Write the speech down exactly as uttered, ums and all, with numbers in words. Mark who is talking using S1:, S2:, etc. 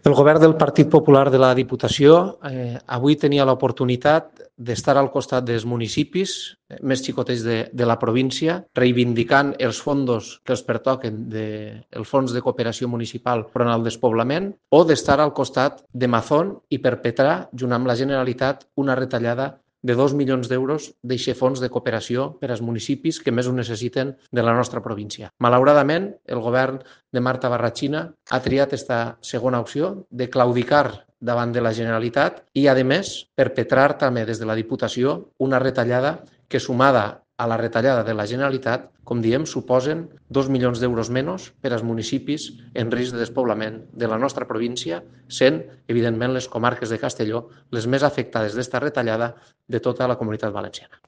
S1: El govern del Partit Popular de la Diputació eh, avui tenia l'oportunitat d'estar al costat dels municipis eh, més xicotets de, de la província, reivindicant els fons que els pertoquen del de, Fons de Cooperació Municipal front al despoblament, o d'estar al costat de Mazón i perpetrar, junt amb la Generalitat, una retallada de dos milions d'euros d'aquest fons de cooperació per als municipis que més ho necessiten de la nostra província. Malauradament, el govern de Marta Barrachina ha triat aquesta segona opció de claudicar davant de la Generalitat i, a més, perpetrar també des de la Diputació una retallada que, sumada a la retallada de la Generalitat, com diem, suposen dos milions d'euros menys per als municipis en risc de despoblament de la nostra província, sent, evidentment, les comarques de Castelló les més afectades d'esta retallada de tota la Comunitat Valenciana.